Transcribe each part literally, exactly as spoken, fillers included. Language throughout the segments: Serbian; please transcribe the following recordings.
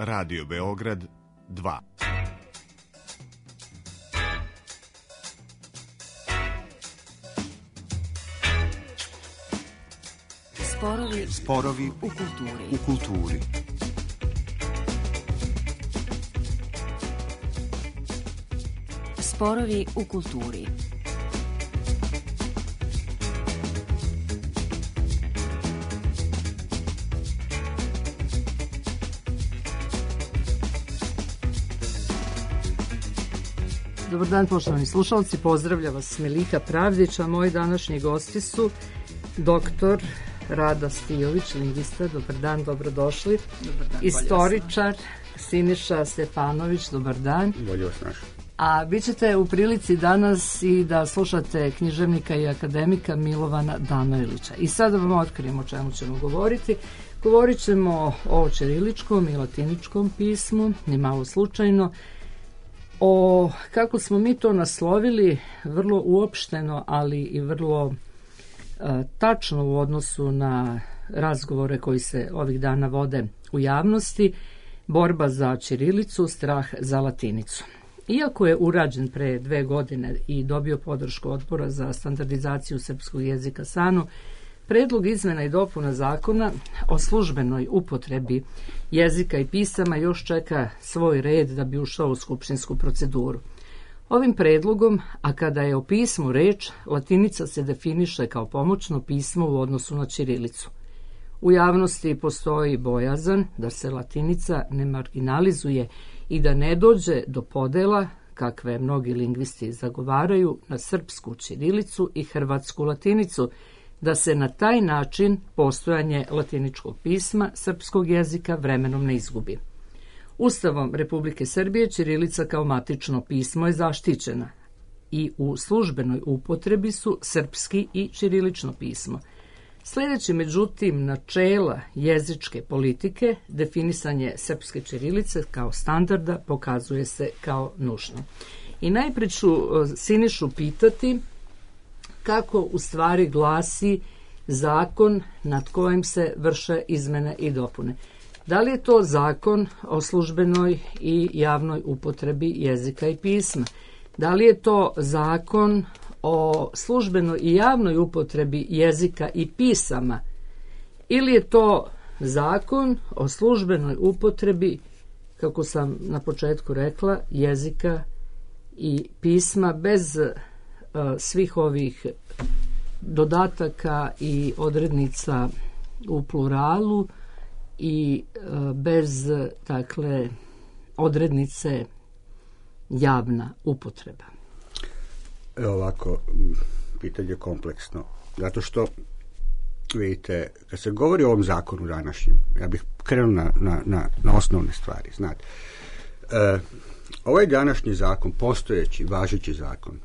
Radio Beograd dva. Sporovi, Sporovi u kulturi. u kulturi. Sporovi u kulturi. Dobar dan, poštovani slušalci, pozdravlja vas Melika Pravdić, a moji današnji gosti su doktor Rada Stijović, lingvista. Dobar dan, dobrodošli. Dobar dan, istoričar Siniša Stefanović, dobar dan. Bolje vas našao. A vi ćete u prilici danas i da slušate književnika i akademika Milovana Danojlića. I sada vam otkrijemo o čemu ćemo govoriti. Govorit ćemo o ćiriličkom i latiničkom pismu, ni malo slučajno, o, kako smo mi to naslovili, vrlo uopšteno, ali i vrlo e, tačno u odnosu na razgovore koji se ovih dana vode u javnosti, borba za ćirilicu, strah za latinicu. Iako je urađen pre dve godine i dobio podršku Odbora za standardizaciju srpskog jezika SANU, predlog izmena i dopuna zakona o službenoj upotrebi jezika i pisama još čeka svoj red da bi ušao u skupštinsku proceduru. Ovim predlogom, a kada je o pismu reč, latinica se definiše kao pomoćno pismo u odnosu na ćirilicu. U javnosti postoji bojazan da se latinica ne marginalizuje i da ne dođe do podela, kakve mnogi lingvisti zagovaraju, na srpsku ćirilicu i hrvatsku latinicu, da se na taj način postojanje latiničkog pisma srpskog jezika vremenom ne izgubi. Ustavom Republike Srbije ćirilica kao matično pismo je zaštićena i u službenoj upotrebi su srpski i ćirilično pismo. Sljedeći, međutim, načela jezičke politike, definisanje srpske ćirilice kao standarda pokazuje se kao nužno. I najprije ću Sinišu pitati kako u stvari glasi zakon nad kojim se vrše izmene i dopune. Da li je to zakon o službenoj i javnoj upotrebi jezika i pisma? Da li je to zakon o službenoj i javnoj upotrebi jezika i pisama? Ili je to zakon o službenoj upotrebi, kako sam na početku rekla, jezika i pisma bez svih ovih dodataka i odrednica u pluralu i bez, dakle, odrednice javna upotreba? Evo ovako, pitanje je kompleksno. Zato što, vidite, kad se govori o ovom zakonu današnjem, ja bih krenuo na, na, na, na osnovne stvari. Znate, e, ovaj današnji zakon, postojeći, važeći zakon,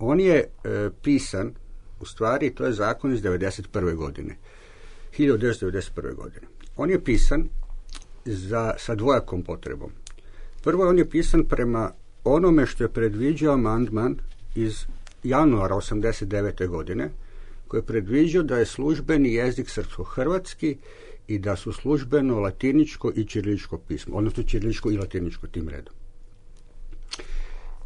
on je e, pisan, u stvari, to je zakon iz devedeset prve godine. hiljadu devetsto devedeset prve godine. On je pisan za, sa dvojakom potrebom. Prvo, on je pisan prema onome što je predviđao amandman iz januara osamdeset devete godine, koji je predviđao da je službeni jezik srpsko-hrvatski i da su službeno latiničko i ćiriličko pismo, odnosno ćiriličko i latiničko tim redom.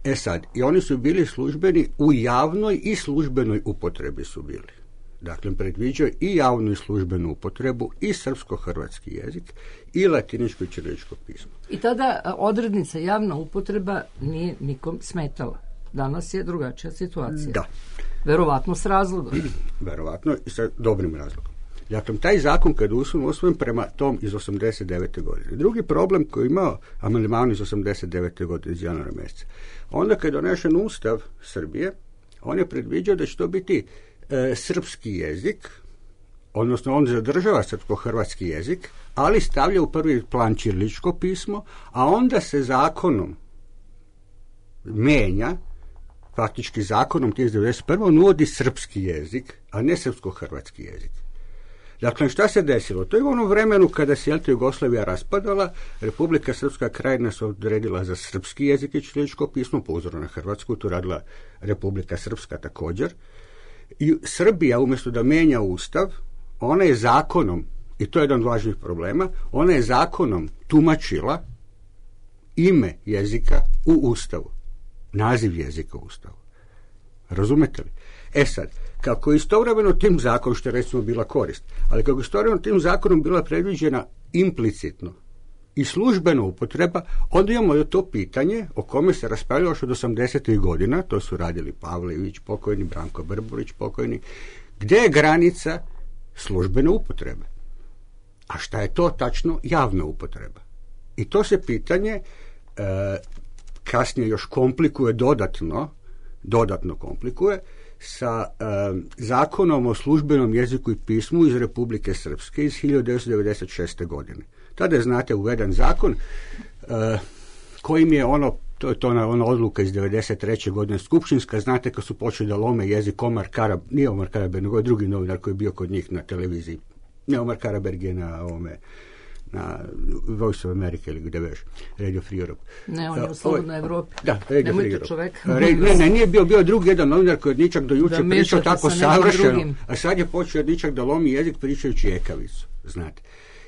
E sad, i oni su bili službeni u javnoj i službenoj upotrebi su bili. Dakle, predviđao i javnu i službenu upotrebu i srpsko-hrvatski jezik i latiničko i ćiriličko pismo. I tada odrednica javna upotreba nije nikom smetala. Danas je drugačija situacija. Da. Verovatno s razlogom. Verovatno i sa dobrim razlogom. Dakle, taj zakon kad je usvojen, usvojen prema tom iz osamdeset devete godine. Drugi problem koji je imao amandman iz osamdeset devete godine iz januara mjeseca. Onda kad je donešen Ustav Srbije, on je predviđao da će to biti e, srpski jezik, odnosno on zadržava srpsko-hrvatski jezik, ali stavlja u prvi plan ćiriličko pismo, a onda se zakonom menja, faktički zakonom iz devedeset prve on uvodi srpski jezik, a ne srpsko-hrvatski jezik. Dakle, šta se desilo? To je u onom vremenu kada se Jugoslavija raspadala, Republika Srpska Krajina se odredila za srpski jezik i ćiriličko pismo, po uzoru na Hrvatsku, tu radila Republika Srpska također. I Srbija, umjesto da menja ustav, ona je zakonom, i to je jedan od važnih problema, ona je zakonom tumačila ime jezika u Ustavu. Naziv jezika u Ustavu. Razumete li? E sad, kako je istovremeno tim zakonom, što je recimo bila korist, ali kako je istovremeno tim zakonom bila predviđena implicitno i službena upotreba, onda imamo to pitanje o kome se raspravljalo još od osamdesetih godina, to su radili Pavle Ivić pokojni, Branko Brburić pokojni, gde je granica službene upotrebe. A šta je to tačno javna upotreba? I to se pitanje e, kasnije još komplikuje dodatno, dodatno komplikuje sa e, zakonom o službenom jeziku i pismu iz Republike Srpske iz hiljadu devetsto devedeset šeste. godine. Tada je, znate, uveden zakon e, kojim je ono, to je to ona, ona odluka iz devedeset treće. godine skupštinska, znate, kad su počeli da lome jezik Omar Karab, nije Omar Karaberg, nego je drugi novinar koji je bio kod njih na televiziji. Ne, Omar Karaberg je na ovome, na Voice of America ili gde veš, Radio Free Europe. Ne, on je u Slobodnoj Evropi. Da, Radio Nemojte Free Europe. čovek. Ne, ne, nije bio, bio drugi jedan novinar koji od ničak do juče da pričao tako savršeno, drugim. A sad je počeo od ničak da lomi jezik pričajući ekavicu, znate.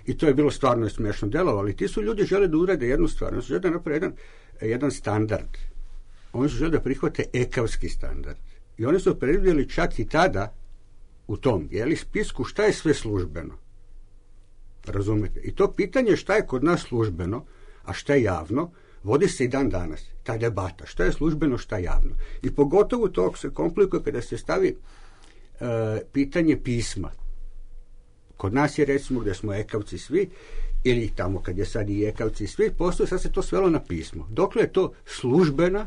I to je bilo stvarno smiješno delovalo, ali ti su ljudi žele da urade jednu stvar, oni su žele da naprave jedan, jedan standard. Oni su žele da prihvate ekavski standard. I oni su predvidjeli čak i tada u tom, jeli, spisku šta je sve službeno. Razumete? I to pitanje šta je kod nas službeno, a šta je javno, vodi se i dan danas. Ta debata, šta je službeno, šta je javno. I pogotovo to se komplikuje kada se stavi e, pitanje pisma. Kod nas je, recimo, gdje smo ekavci svi, ili tamo kad je sad i ekavci svi, postoje, sad se to svelo na pismo. Dokle je to službena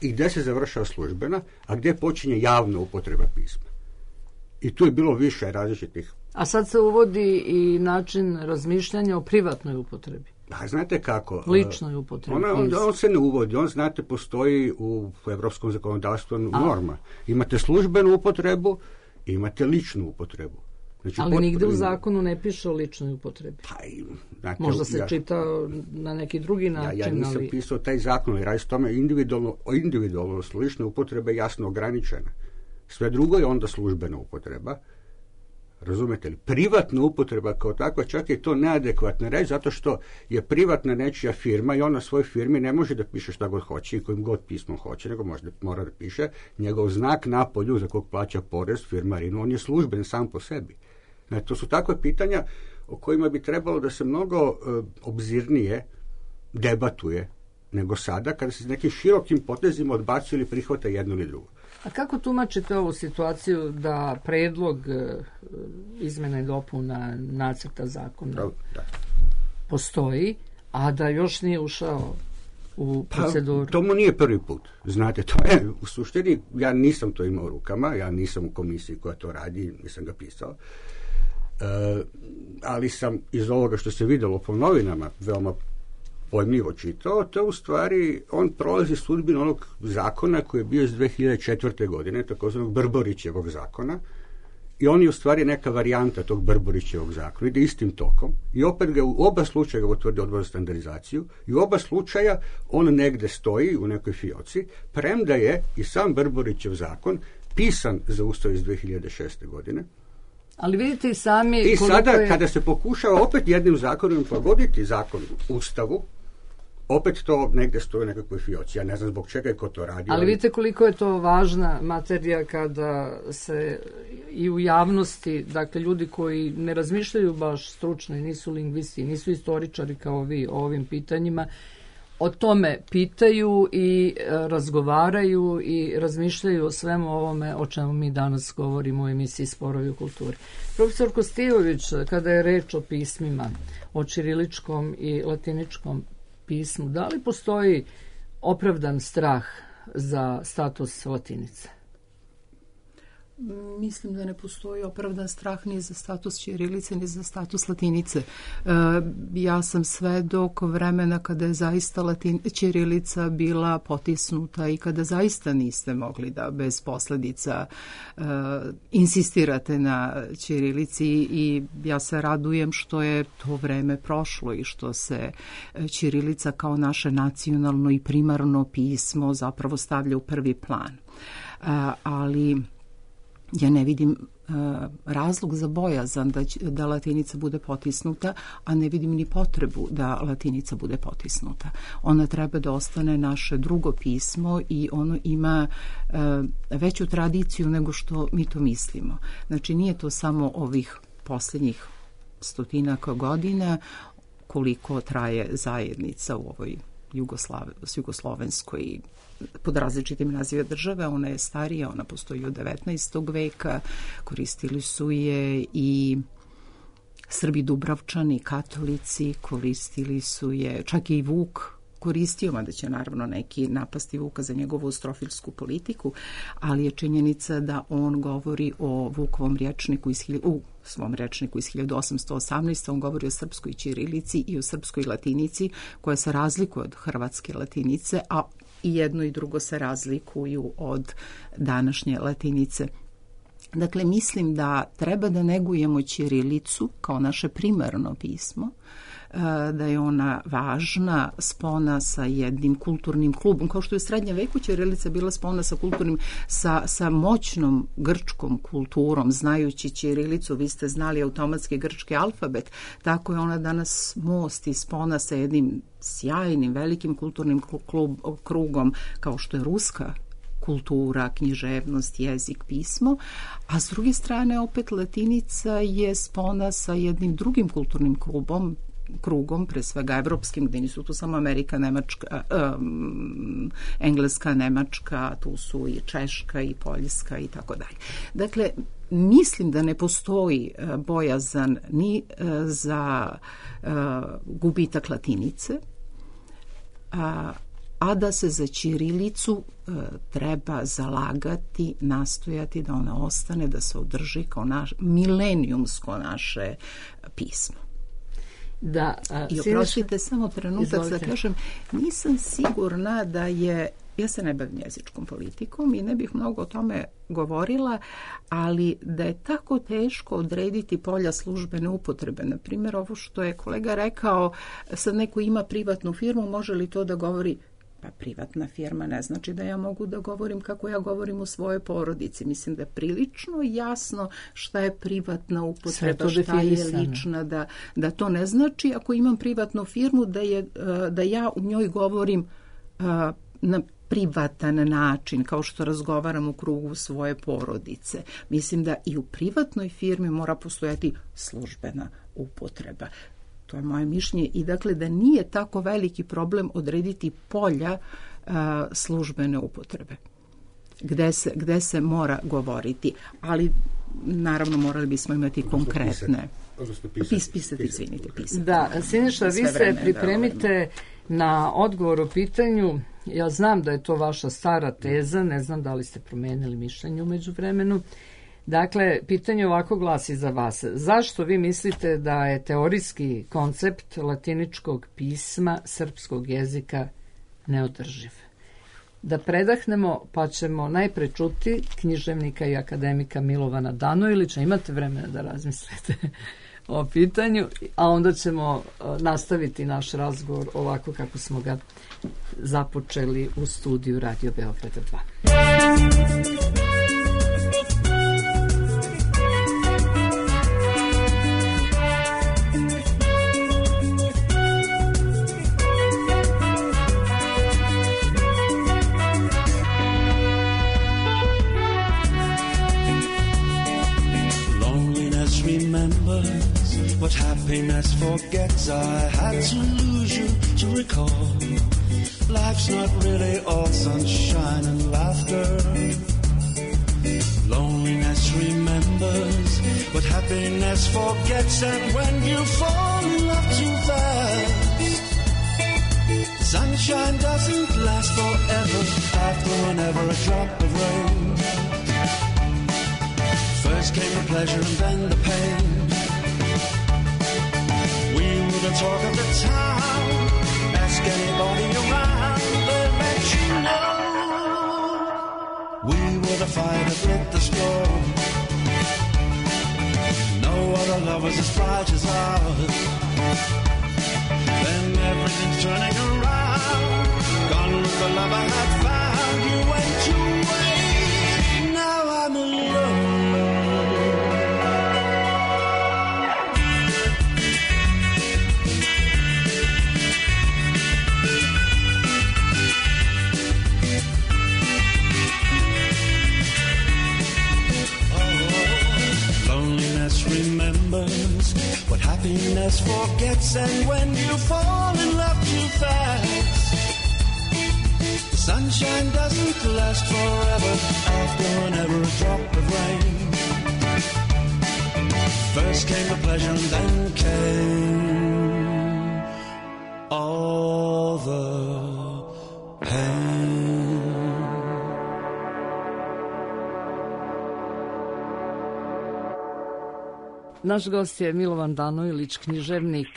i gdje se završava službena, a gdje počinje javna upotreba pisma. I tu je bilo više različitih. A sad se uvodi i način razmišljanja o privatnoj upotrebi. A znate kako? Ličnoj upotrebi. Ona, on, on se ne uvodi. On, znate, postoji u evropskom zakonodavstvu norma. Imate službenu upotrebu, imate ličnu upotrebu. Znači, ali potpuno, nigde u zakonu ne piše o ličnoj upotrebi. Pa, znate, možda se ja, čita na neki drugi način. Ja, ja nisam ali... pisao taj zakon, ali radi se tome individualno, individualno lična upotreba je jasno ograničena. Sve drugo je onda službena upotreba. Razumete li? Privatna upotreba kao takva, čak je to neadekvatna reći, zato što je privatna nečija firma i ona svoj firmi ne može da piše šta god hoće i kojim god pismom hoće, nego može da, mora da piše njegov znak na polju za kog plaća porez firmarinu, on je služben sam po sebi. Znači, to su takve pitanja o kojima bi trebalo da se mnogo e, obzirnije debatuje nego sada, kada se s nekim širokim potezima odbacuje ili prihvata jedno ili drugo. A kako tumačite ovu situaciju da predlog e, izmena i dopuna nacrta zakona da, da. postoji, a da još nije ušao u proceduru? Pa, to mu nije prvi put. Znate, to je u suštini, ja nisam to imao u rukama, ja nisam u komisiji koja to radi, nisam ga pisao. E, ali sam iz ovoga što se vidjelo po novinama veoma pojmljivo čitao, to u stvari on prolazi sudbinu onog zakona koji je bio iz dve hiljade četvrte. godine, takozvanog Brborićevog zakona, i on je u stvari neka varijanta tog Brborićevog zakona, ide istim tokom i opet ga u oba slučaja ga utvrdi Odbor za standardizaciju i u oba slučaja on negde stoji u nekoj fioci, premda je i sam Brborićev zakon pisan za Ustav iz dve hiljade šeste. godine. Ali vidite i sami... I sada, je... kada se pokušava opet jednim zakonom pogoditi zakon Ustavu, opet to negde stoji u nekakvoj fioci. Ja ne znam zbog čega je ko to radi. Ali vidite koliko je to važna materija kada se i u javnosti, dakle, ljudi koji ne razmišljaju baš stručno, nisu lingvisti, nisu istoričari kao vi o ovim pitanjima, o tome pitaju i razgovaraju i razmišljaju o svemu ovome o čemu mi danas govorimo u emisiji Sporovi u kulturi. Profesor Kostijević, kada je reč o pismima, o ćiriličkom i latiničkom pismu, da li postoji opravdan strah za status latinice? Mislim da ne postoji opravdan strah ni za status ćirilice, ni za status latinice. E, ja sam svedok vremena kada je zaista latin, ćirilica bila potisnuta i kada zaista niste mogli da bez posledica e, insistirate na ćirilici, i ja se radujem što je to vreme prošlo i što se ćirilica kao naše nacionalno i primarno pismo zapravo stavlja u prvi plan. E, ali ja ne vidim uh, razlog za bojazan da, da latinica bude potisnuta, a ne vidim ni potrebu da latinica bude potisnuta. Ona treba da ostane naše drugo pismo i ono ima uh, veću tradiciju nego što mi to mislimo. Znači nije to samo ovih posljednjih stotinaka godina koliko traje zajednica u ovoj Jugoslav, jugoslovenskoj pod različitim nazive države. Ona je starija, ona postoji od devetnaestog veka, koristili su je i Srbi Dubravčani, katolici, koristili su je, čak i Vuk koristio, mada će naravno neki napasti Vuka za njegovu strofilsku politiku, ali je činjenica da on govori o Vukovom rječniku iz, u svom rečniku iz hiljadu osamsto osamnaeste. On govori o srpskoj ćirilici i o srpskoj latinici koja se razlikuje od hrvatske latinice, a i jedno i drugo se razlikuju od današnje latinice. Dakle, mislim da treba da negujemo ćirilicu kao naše primarno pismo, da je ona važna, spona sa jednim kulturnim klubom, kao što je u srednjem veku ćirilica bila spona sa kulturnim, sa, sa moćnom grčkom kulturom. Znajući ćirilicu, vi ste znali automatski grčki alfabet, tako je ona danas most i spona sa jednim sjajnim, velikim kulturnim klub, krugom, kao što je ruska kultura, književnost, jezik, pismo, a s druge strane opet latinica je spona sa jednim drugim kulturnim klubom, krugom, pre svega evropskim, gde nisu tu samo Amerika, Nemačka, um, Engleska, Nemačka, tu su i Češka i Poljska i tako dalje. Dakle, mislim da ne postoji uh, bojazan ni uh, za uh, gubitak latinice, a, a da se za ćirilicu uh, treba zalagati, nastojati da ona ostane, da se održi kao naš, milenijumsko naše pismo. Da, a, I oprostite samo trenutak da kažem, nisam sigurna da je, ja se ne bavim jezičkom politikom i ne bih mnogo o tome govorila, ali da je tako teško odrediti polja službene upotrebe. Na primjer, ovo što je kolega rekao, sad neko ima privatnu firmu, može li to da govori? Pa privatna firma ne znači da ja mogu da govorim kako ja govorim u svojoj porodici. Mislim da je prilično jasno šta je privatna upotreba, šta je lična, da, da to ne znači ako imam privatnu firmu da, je, da ja u njoj govorim na privatan način, kao što razgovaram u krugu svoje porodice. Mislim da i u privatnoj firmi mora postojati službena upotreba. To je moje mišljenje i dakle da nije tako veliki problem odrediti polja a, službene upotrebe gde se, gde se mora govoriti, ali naravno morali bismo imati konkretne Pis, pisati, izvinite, pisati. Da, Siniša, vi se pripremite na odgovor o pitanju. Ja znam da je to vaša stara teza, ne znam da li ste promenili mišljenje umeđu vremenu. Dakle, pitanje ovako glasi za vas. Zašto vi mislite da je teorijski koncept latiničkog pisma srpskog jezika neodrživ? Da predahnemo, pa ćemo najpre čuti književnika i akademika Milovana Danojlića. Imate vremena da razmislite o pitanju, a onda ćemo nastaviti naš razgovor ovako kako smo ga započeli u studiju Radio Beograda dva. What happiness forgets, I had to lose you to recall. Life's not really all sunshine and laughter. Loneliness remembers what happiness forgets, and when you fall in love too fast, sunshine doesn't last forever. After whenever a drop of rain, first came the pleasure and then the pain. The talk of the town, ask anybody around, they'll let you know we were the fire that lit the storm. No other love was as bright as ours. Then everything's turning around, gone with the love I had found. You went away, now I'm alone. Happiness forgets, and when you fall in love too fast, the sunshine doesn't last forever after whenever a drop of rain. First came the pleasure and then came all the pain. Naš gost je Milovan Danojlić, književnik,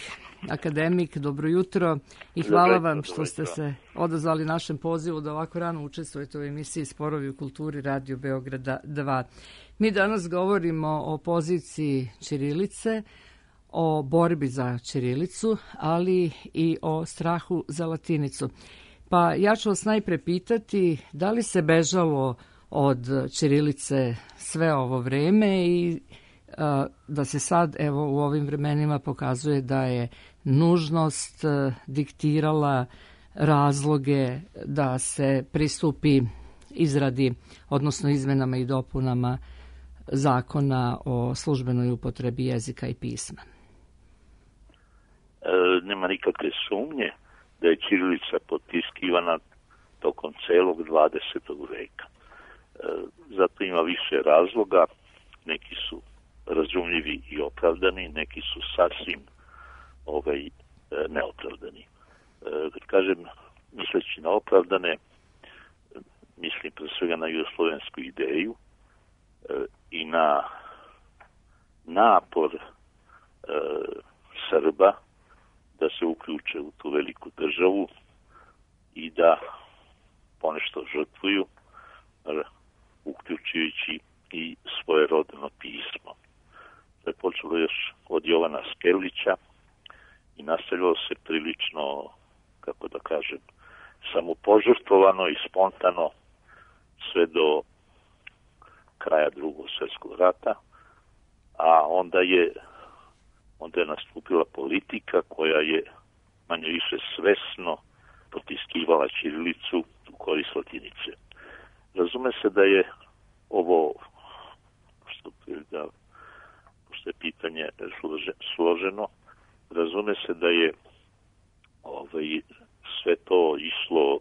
akademik. Dobro jutro i hvala vam što ste se odazvali našem pozivu da ovako rano učestvujete u emisiji Sporovi u kulturi Radio Beograda dva. Mi danas govorimo o poziciji ćirilice, o borbi za ćirilicu, ali i o strahu za latinicu. Pa ja ću vas najpre pitati da li se bežalo od ćirilice sve ovo vreme i da se sad evo u ovim vremenima pokazuje da je nužnost diktirala razloge da se pristupi izradi, odnosno izmenama i dopunama zakona o službenoj upotrebi jezika i pisma. E, nema nikakve sumnje da je ćirilica potiskivana tokom celog dvadesetog veka. E, zato ima više razloga, neki su razumljivi i opravdani, neki su sasvim ovaj, neopravdani. E, kad kažem, misleći na opravdane, mislim pre svega na jugoslovensku ideju e, i na napor e, Srba da se uključe u tu veliku državu i da ponešto žrtvuju, uključujući i svoje rodno pismo. To je počelo još od Jovana Skerlića i nastavilo se prilično, kako da kažem, samopožrtvovano i spontano sve do kraja Drugog svjetskog rata, a onda je onda je nastupila politika koja je manje više svesno potiskivala ćirilicu u korist latinice. Razume se da je ovo, što, da, što je pitanje složeno, razume se da je ovaj, sve to išlo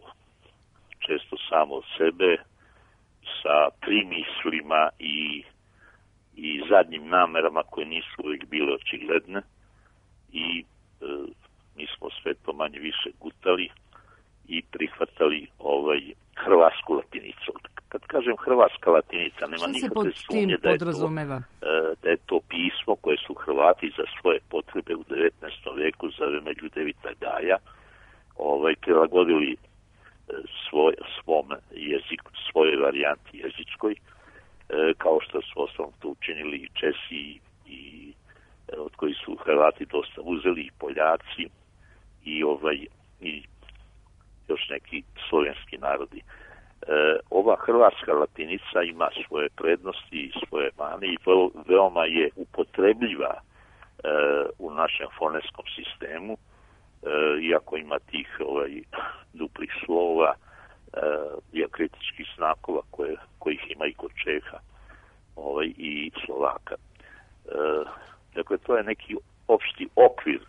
često samo od sebe, sa primislima i, i zadnjim namerama koje nisu uvijek bile očigledne i e, mi smo sve to manje više gutali i prihvatali ovaj hrvatsku latinicu. Kad kažem hrvatska latinica, nema nikakve sumnje da je, to, da je to pismo koje su Hrvati za svoje potrebe u devetnaestom veku za vreme Ljudevita Gaja ovaj, prilagodili svoj, svom jeziku, svojoj varijanti jezičkoj, kao što su osnovno to učinili i Česi i od koji su Hrvati dosta uzeli i Poljaci i ovaj i još neki slovenski narodi. E, ova hrvatska latinica ima svoje prednosti i svoje mane i veoma je upotrebljiva e, u našem foneskom sistemu, e, iako ima tih ovaj, duplih slova, e, dijakritičkih znakova koje, kojih ima i kod Čeha ovaj, i Slovaka. E, dakle, to je neki opšti okvir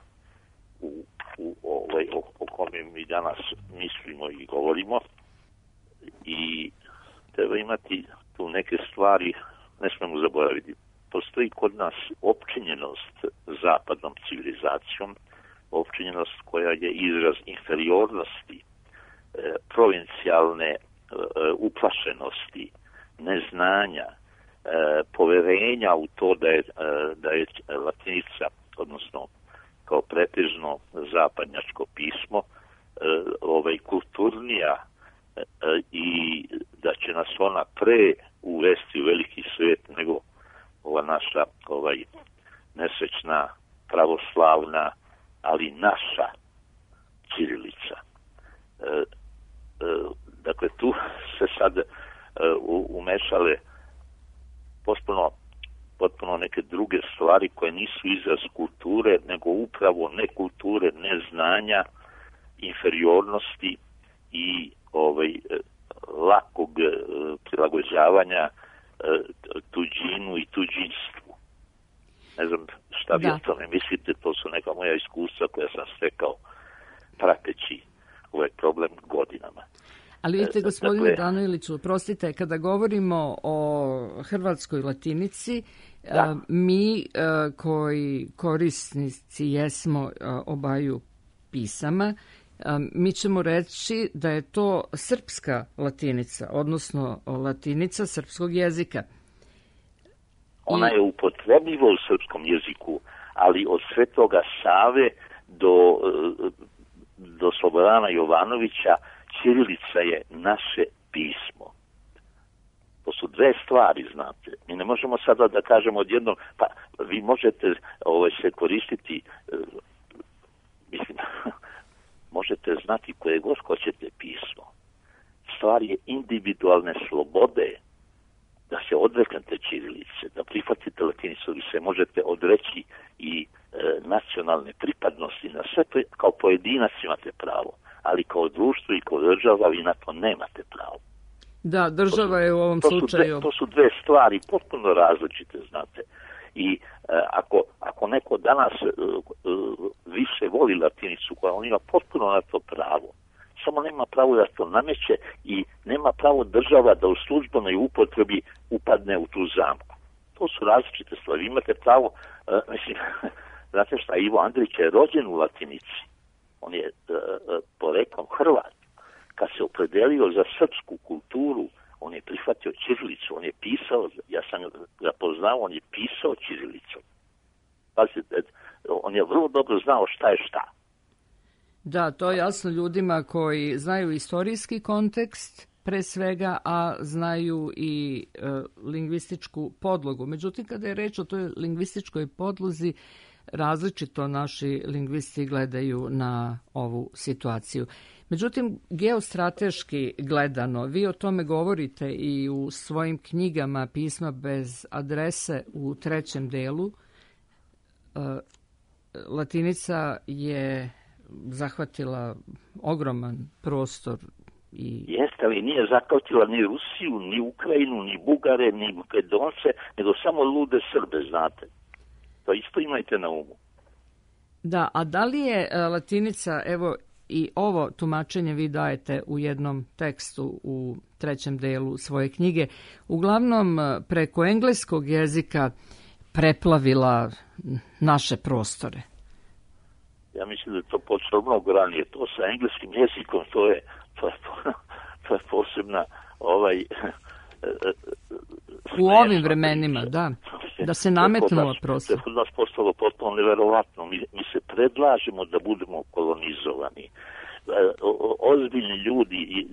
u, u ovaj, o, o kome mi danas mislimo i govorimo. I treba imati tu neke stvari, ne smemo zaboraviti. Postoji kod nas opčinjenost zapadnom civilizacijom, opčinjenost koja je izraz inferiornosti, e, provincijalne e, uplašenosti, neznanja, e, poverenja u to da je, e, da je latinica, odnosno kao pretežno zapadnjačko pismo, e, ovaj, kulturnija i da će nas ona pre uvesti u veliki svijet nego ova naša ovaj, nesrećna, pravoslavna, ali naša ćirilica. E, e, dakle, tu se sad e, umešale potpuno, potpuno neke druge stvari koje nisu izraz kulture, nego upravo ne kulture, ne znanja, inferiornosti i ovaj, lakog prilagođavanja tuđinu i tuđinstvu. Ne znam šta vi Da. o tome mislite, to su neka moja iskustva koja sam stekao prateći ovaj problem godinama. Ali vidite, E, gospodine dakle- Danojliću, prostite, kada govorimo o hrvatskoj latinici, Da. e, mi e, koji korisnici jesmo e, obaju pisama, e, mi ćemo reći da je to srpska latinica, odnosno latinica srpskog jezika. Ona je upotrebljiva u srpskom jeziku, ali od Svetoga Save do, e, do Slobodana Jovanovića ćirilica je naše pismo. To su dve stvari, znate. Mi ne možemo sada da kažemo odjednom, pa vi možete ovaj, se koristiti, e, mislim, možete znati koje god hoćete pismo. Stvar je individualne slobode, da se odreknete ćirilice, da prihvatite latinicu, vi se možete odreći i e, nacionalne pripadnosti, na sve to kao pojedinac imate pravo, ali kao društvo i kao država vi na to nemate pravo. Da, država je u ovom To su, slučaju... dve, to su dve stvari potpuno različite, znate. I e, ako, ako neko danas e, e, više voli latinicu, koja on ima potpuno na to pravo, samo nema pravo da to nameće i nema pravo država da u službenoj upotrebi upadne u tu zamku. To su različite stvari. Vi imate pravo, uh, mislim, znate šta, Ivo Andrić je rođen u latinici. On je uh, uh, poreklom Hrvat. Kad se opredelio za srpsku kulturu, on je prihvatio ćirilicu, on je pisao, ja sam ga poznao, on je pisao ćirilicom. Pazite, on je vrlo dobro znao šta je šta. Da, to je jasno ljudima koji znaju istorijski kontekst pre svega, a znaju i e, lingvističku podlogu. Međutim, kada je reč o toj lingvističkoj podlozi, različito naši lingvisti gledaju na ovu situaciju. Međutim, geostrateški gledano, vi o tome govorite i u svojim knjigama Pisma bez adrese u trećem delu. E, latinica je zahvatila ogroman prostor i... Jeste, ali nije zahvatila ni Rusiju, ni Ukrajinu, ni Bugare, ni Makedonce, nego samo lude Srbe, znate. To isto imajte na umu. Da, a da li je e, latinica, evo i ovo tumačenje vi dajete u jednom tekstu u trećem delu svoje knjige, uglavnom e, preko engleskog jezika preplavila naše prostore? Ja mislim da je to počelo mnogo ranije. To sa engleskim jezikom, to je, to je, to je posebna ovaj... U ovim vremenima, da. Da se nametnuo prostor. To je kod nas postalo potpuno neverovatno. Mi, mi se predlažemo da budemo kolonizovani. Ozbiljni ljudi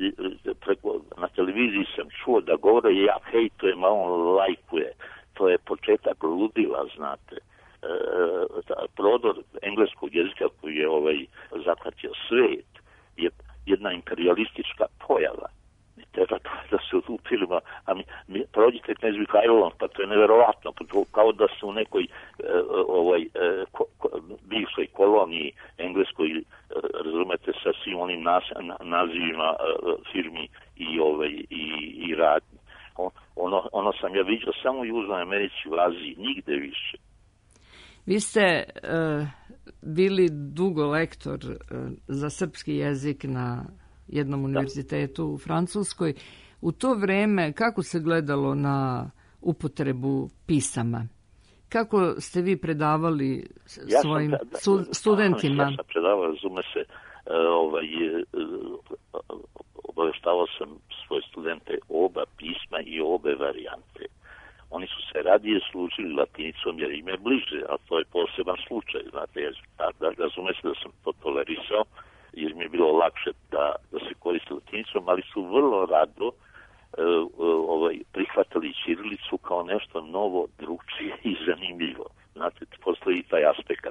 preko, na televiziji sam čuo da govore ja hejtujem, a on lajkuje. To je početak ludila, znate. Prodor engleskog jezika koji je ovaj zahvatio svet je jedna imperialistička pojava. Ne treba da se odupirimo, a mi, mi prođite knez Mihajlovom, pa to je neverovatno, pa to, kao da su u nekoj e, ovaj, e, ko, ko, bivšoj koloniji engleskoj, e, razumete, sa svim onim nas, na, nazivima e, firmi i, ovaj, i, i radnji. On, ono, ono sam ja vidio samo u Južnoj Americi, u Aziji, nigde više. Vi ste uh, bili dugo lektor uh, za srpski jezik na jednom univerzitetu u Francuskoj. U to vreme kako se gledalo na upotrebu pisama? Kako ste vi predavali ja svojim sam, da, su, studentima? Ja sam predavao, razume se, ovaj, obaveštavao sam svoje studente oba pisma i obe varijante. Oni su se radije služili latinicom jer im je bliže, a to je poseban slučaj. Znate, jer, da, da, razume se da sam to tolerisao, jer mi je bilo lakše da, da se koriste latinicom, ali su vrlo rado e, ovaj, prihvatali ćirilicu kao nešto novo, drugčije i zanimljivo. Znate, postoji i taj aspekt.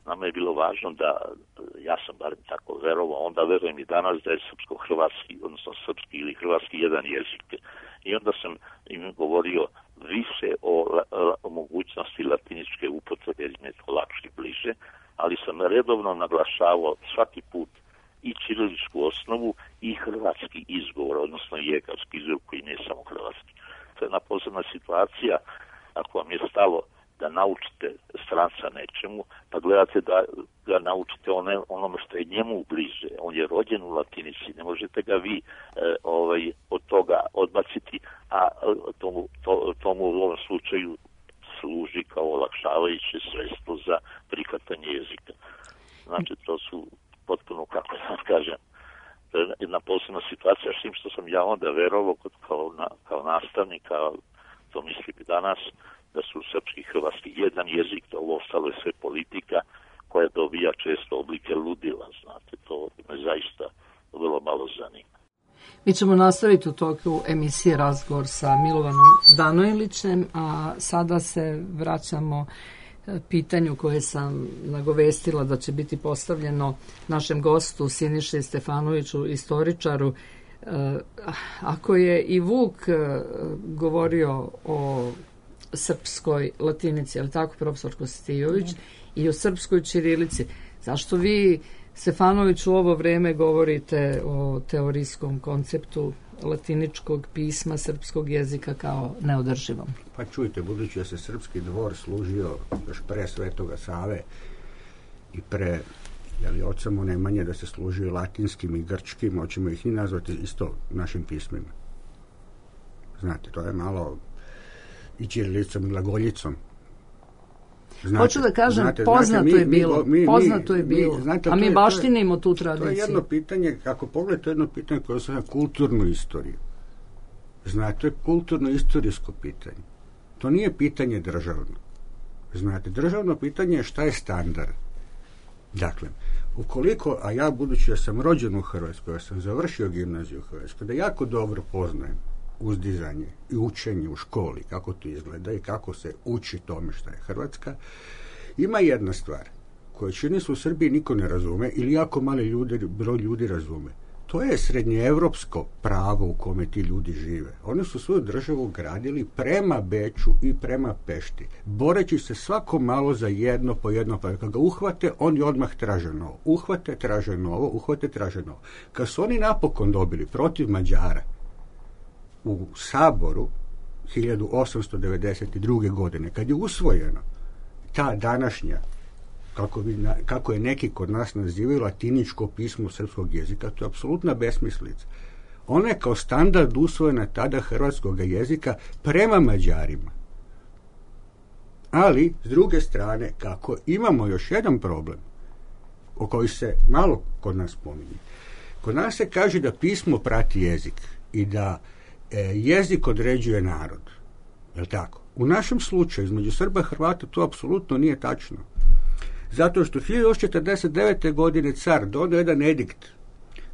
Nama je bilo važno da, ja sam barem tako verovao, onda verujem i danas da je srpsko-hrvatski, odnosno srpski ili hrvatski jedan jezik. I onda sam im govorio više o, o mogućnosti latiničke upotrebe, jer im je to lakše i bliže, ali sam redovno naglašavao svaki put i ćiriličku osnovu i hrvatski izgovor, odnosno jegarski izgovor koji nije samo hrvatski. To je jedna posebna situacija, ako vam je stalo da naučite što je njemu bliže. On je rođen u latinici, ne možete ga vi e, ovaj, od toga odbaciti, a tomu, to, tomu u ovom slučaju služi kao olakšavajuće sredstvo za prihvatanje jezika. Znači, to su potpuno, kako ja kažem, jedna posebna situacija, s tim što sam ja onda verovao kao, na, kao nastavnik, kao to mislim i danas, da su srpski i hrvatski jedan jezik, da ovo ostalo je sve politika koja dobija često oblike ludila, znate, to me zaista vrlo malo zanima. Mi ćemo nastaviti u toku emisije razgovor sa Milovanom Danojlićem, a sada se vraćamo pitanju koje sam nagovestila da će biti postavljeno našem gostu Siniši Stefanoviću, istoričaru. Ako je i Vuk govorio o srpskoj latinici, ali tako, profesor Kostijović, mm. i o srpskoj ćirilici, zašto vi, Stefanović, u ovo vreme govorite o teorijskom konceptu latiničkog pisma srpskog jezika kao neodrživom? Pa čujte, budući da se srpski dvor služio još pre Svetoga Save i pre jeli, od samo Nemanje da se služio latinskim i grčkim, hoćemo ih i nazvati isto našim pismima. Znate, to je malo i ćirilicom i glagoljicom. Znate, hoću da kažem, znate, poznato znate, mi, je bilo, mi, mi, poznato je bilo, mi, znate, a mi baštinimo tu tradiciju. To je jedno pitanje, kako pogledate, to je jedno pitanje koje se na kulturnu istoriju. Znate, to je kulturno-istorijsko pitanje. To nije pitanje državno. Znate, državno pitanje je šta je standard. Dakle, ukoliko, a ja budući da sam rođen u Hrvatskoj, ja sam završio gimnaziju u Hrvatskoj, da jako dobro poznajem uzdizanje i učenje u školi, kako to izgleda i kako se uči tome šta je Hrvatska, ima jedna stvar koju čini se u Srbiji niko ne razume ili jako mali ljudi, broj ljudi razume. To je srednjeevropsko pravo u kome ti ljudi žive. Oni su svoju državu gradili prema Beču i prema Pešti, boreći se svako malo za jedno po jedno, pa kad ga uhvate, oni odmah traže novo. Uhvate, traže novo, uhvate, traže novo. Kad su oni napokon dobili protiv Mađara u Saboru hiljadu osamsto devedeset druge. godine, kad je usvojeno ta današnja, kako, bi, kako je neki kod nas nazivaju, latiničko pismo srpskog jezika, to je apsolutna besmislica. Ona je kao standard usvojena tada hrvatskog jezika prema Mađarima. Ali, s druge strane, kako imamo još jedan problem, o koji se malo kod nas pominje. Kod nas se kaže da pismo prati jezik i da jezik određuje narod. Je li tako? U našem slučaju, između Srba i Hrvata, to apsolutno nije tačno. Zato što hiljadu četrdeset devete. godine car donio jedan edikt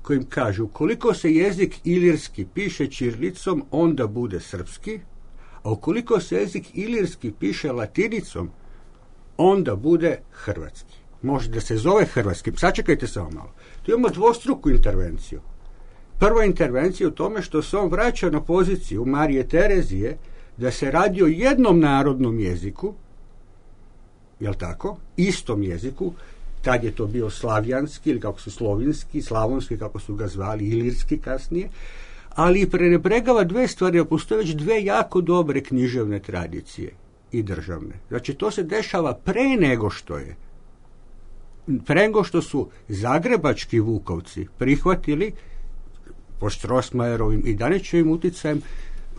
kojim kaže, ukoliko se jezik ilirski piše ćirilicom, onda bude srpski, a ukoliko se jezik ilirski piše latinicom, onda bude hrvatski. Može da se zove hrvatski. Sačekajte samo malo. Tu imamo dvostruku intervenciju. Prva intervencija je u tome što se on vraća na poziciju Marije Terezije da se radi o jednom narodnom jeziku, jel tako, istom jeziku, tad je to bio slavjanski ili kako su slovinski, slavonski kako su ga zvali, ilirski kasnije, ali prenebregava dve stvari, a postoje već dve jako dobre književne tradicije i državne. Znači to se dešava pre nego što je, pre nego što su zagrebački Vukovci prihvatili po Strossmayerovim i Danićevim uticajem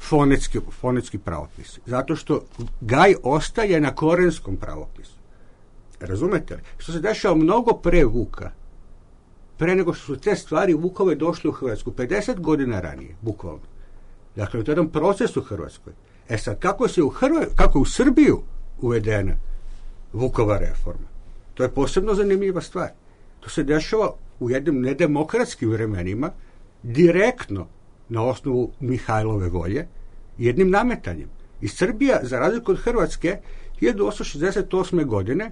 fonetski, fonetski pravopis. Zato što Gaj ostaje na korenskom pravopisu. Razumete li? Što se dešava mnogo pre Vuka, pre nego što su te stvari Vukove došle u Hrvatsku, pedeset godina ranije, bukvalno. Dakle, to je jedan proces u Hrvatskoj. E sad, kako se u, Hrva, kako je u Srbiju uvedena Vukova reforma? To je posebno zanimljiva stvar. To se dešava u jednim nedemokratskim vremenima, direktno na osnovu Mihajlove volje, jednim nametanjem. I Srbija, za razliku od Hrvatske, hiljadu osamsto šezdeset osme. godine,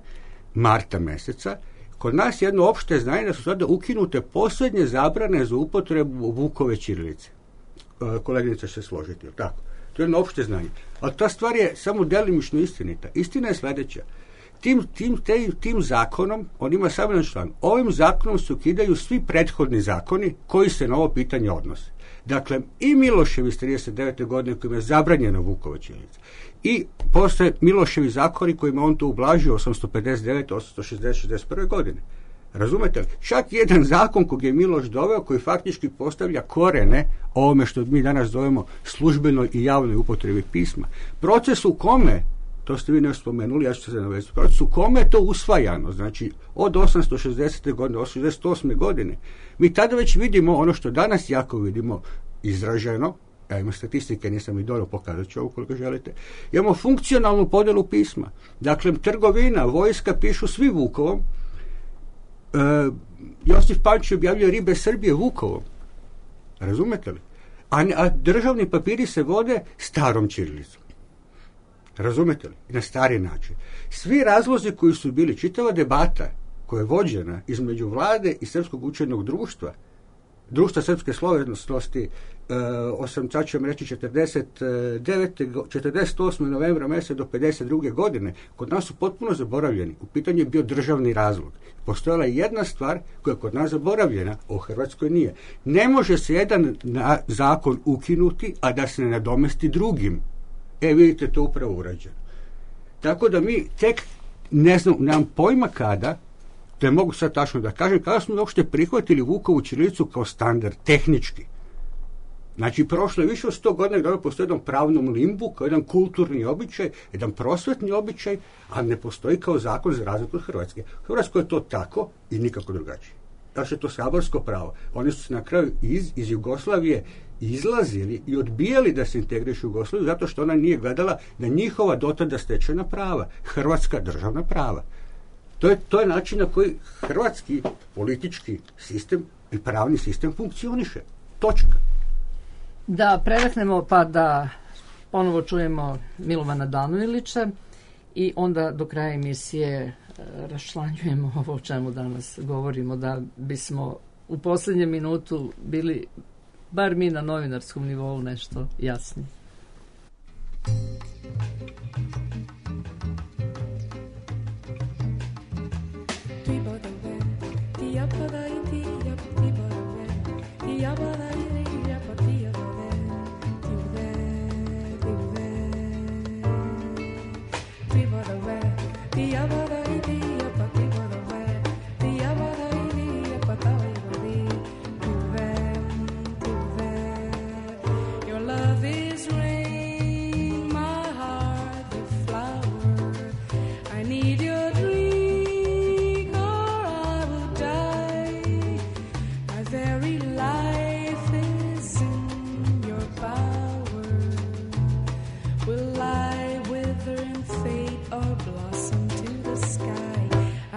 marta meseca, kod nas jedno opšte znanje da su sada ukinute posljednje zabrane za upotrebu Vukove ćirilice. E, koleginica će se složiti, tako? To je jedno opšte znanje. Ali ta stvar je samo delimično istinita. Istina je sledeća. Tim, tim, te, tim zakonom, on ima samo jedan član, ovim zakonom se ukidaju svi prethodni zakoni koji se na ovo pitanje odnose. Dakle, i Miloševi iz trideset devete. godine kojima je zabranjena Vukova ćirilica, i posle Miloševi zakoni kojima on to ublažio osamsto pedeset devete. osamsto šezdeset. šezdeset prve. godine. Razumete li? Čak jedan zakon kojeg je Miloš doveo, koji faktički postavlja korene ovome što mi danas zovemo službenoj i javnoj upotrebi pisma. Proces u kome, to ste vi nešto spomenuli, ja ću se navezati, proces u kome je to usvajano, znači od osamsto šezdesete godine, osamsto šezdeset osme godine, mi tada već vidimo ono što danas jako vidimo izraženo, ja imam statistike, nisam i dobro pokazat ću ovo koliko želite, imamo funkcionalnu podjelu pisma. Dakle, trgovina, vojska pišu svi Vukovom, e, Josif Pančić objavljuje Ribe Srbije Vukovom. Razumete li? A, a državni papiri se vode starom ćirilicom. Razumete li? Na stari način. Svi razlozi koji su bili, čitava debata koja je vođena između vlade i Srpskog učenog društva, društva srpske slovenosti, osam sad ću vam reći četrdeset devete, četrdeset osme novembra mjeseca do pedeset druge godine, kod nas su potpuno zaboravljeni. U pitanju je bio državni razlog. Postojala je jedna stvar koja je kod nas zaboravljena, a u Hrvatskoj nije. Ne može se jedan na, zakon ukinuti, a da se ne nadomesti drugim. E, vidite, to upravo urađeno. Tako da mi tek, ne znam, nemam pojma kada, to je mogu sad tačno da kažem, kada smo uopšte prihvatili Vukovu ćirilicu kao standard, tehnički. Znači, prošlo je više od sto godina da postoji jedan pravnom limbu, kao jedan kulturni običaj, jedan prosvetni običaj, a ne postoji kao zakon za razliku od Hrvatske. U Hrvatskoj je to tako i nikako drugačije. Znači, je to saborsko pravo. Oni su se na kraju iz, iz Jugoslavije izlazili i odbijali da se integrišu u Jugoslaviju zato što ona nije gledala na njihova dotada stečena prava, hrvatska državna prava. To je, to je način na koji hrvatski politički sistem i pravni sistem funkcioniše. Točka. Da predahnemo pa da ponovo čujemo Milovana Danojlića i onda do kraja emisije raščlanjujemo ovo o čemu danas govorimo, da bismo u posljednjem minutu bili, bar mi na novinarskom nivou, nešto jasni.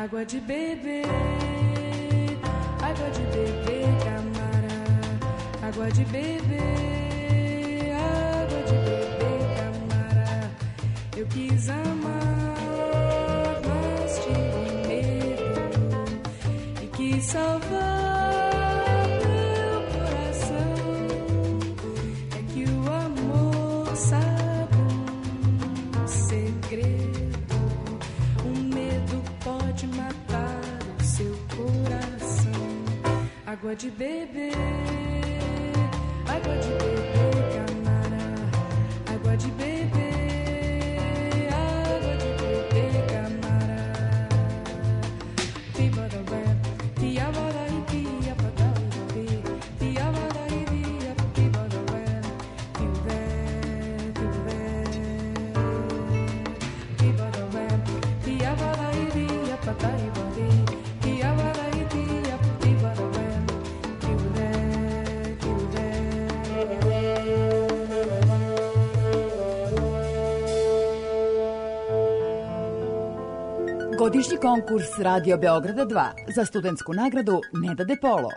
Água de beber, água de beber, camara. Água de beber, água de beber, camara. Eu quis amar, mas tive medo e quis salvar meu coração. É que o amor sabe um segredo, um medo pode matar o seu coração. Água de beber, água de beber, camara. Água de beber, água de beber, camara. Tiba da web, tiaba da ipia, pada ibi, tiaba da ibia, tiba da web, tibe, tibe. Tiba da web, tiaba da ibia, pada ibi, tiaba da ibia, tiba da web, tibe, tibe. Godišnji konkurs Radio Beograda dva za studentsku nagradu Neda De Polo.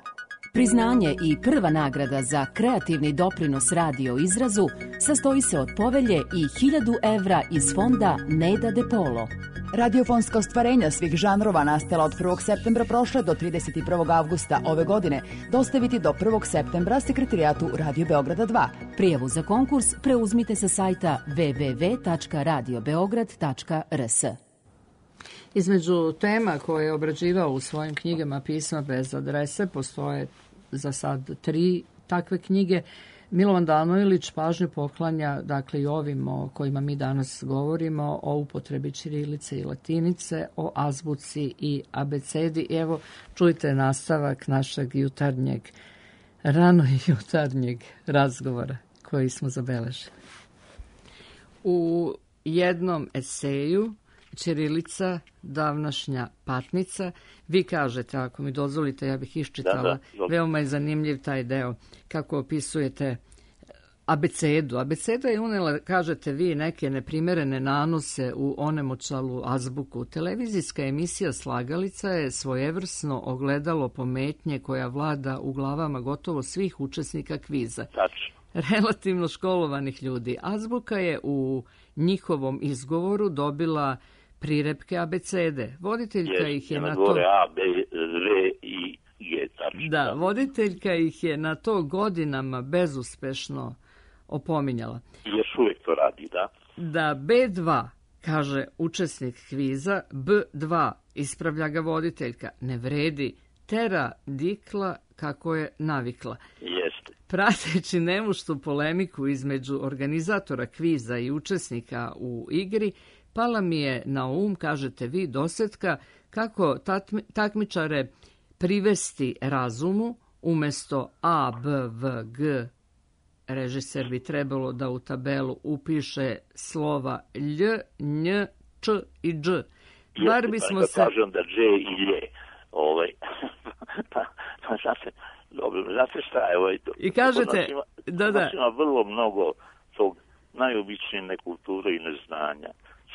Priznanje i prva nagrada za kreativni doprinos radio izrazu sastoji se od povelje i hiljadu evra iz fonda Neda De Polo. Radiofonska ostvarenja svih žanrova nastala od prvog septembra prošle do trideset prvog avgusta ove godine dostaviti do prvog septembra sekretarijatu Radio Beograda dva. Prijavu za konkurs preuzmite sa sajta w w w tačka radio beograd tačka r s. Između tema koje je obrađivao u svojim knjigama Pisma bez adrese, postoje za sad tri takve knjige. Milovan Danojlić pažnju poklanja, dakle, i ovim o kojima mi danas govorimo, o upotrebi ćirilice i latinice, o azbuci i abecedi. Evo, čujte nastavak našeg jutarnjeg, rano jutarnjeg razgovora koji smo zabeležili. U jednom eseju ćirilica, davnašnja patnica, vi kažete, ako mi dozvolite, ja bih iščitala, Da, da. veoma je zanimljiv taj deo, kako opisujete abecedu. Abeceda je unela, kažete vi, neke neprimerene nanose u onemoćalu azbuku. Televizijska emisija Slagalica je svojevrsno ogledalo pometnje koja vlada u glavama gotovo svih učesnika kviza. Tačno. Relativno školovanih ljudi. Azbuka je u njihovom izgovoru dobila prirepke abecede. Voditeljka Jest, ih je na na gore to... A, B, V i G, tačno. Da, voditeljka ih je na to godinama bezuspešno opominjala. I još uvijek to radi, da. Da B dva, kaže učesnik kviza, B dva, ispravlja ga voditeljka, ne vredi, tera dikla kako je navikla. Jeste. Prateći nemuštu polemiku između organizatora kviza i učesnika u igri, pala mi je na um, kažete vi, dosetka, kako tatmi, takmičare privesti razumu, umesto A, B, V, G, režiser bi trebalo da u tabelu upiše slova Lj, Nj, Č i Dž. Bar bismo Jeste, se... pa kažem da Dž i Lje. Ovaj, pa, pa znate, dobro, znate šta je ovaj... To, I kažete, nas ima, da, da. nas ima vrlo mnogo tog najobičnije nekulture i neznanja.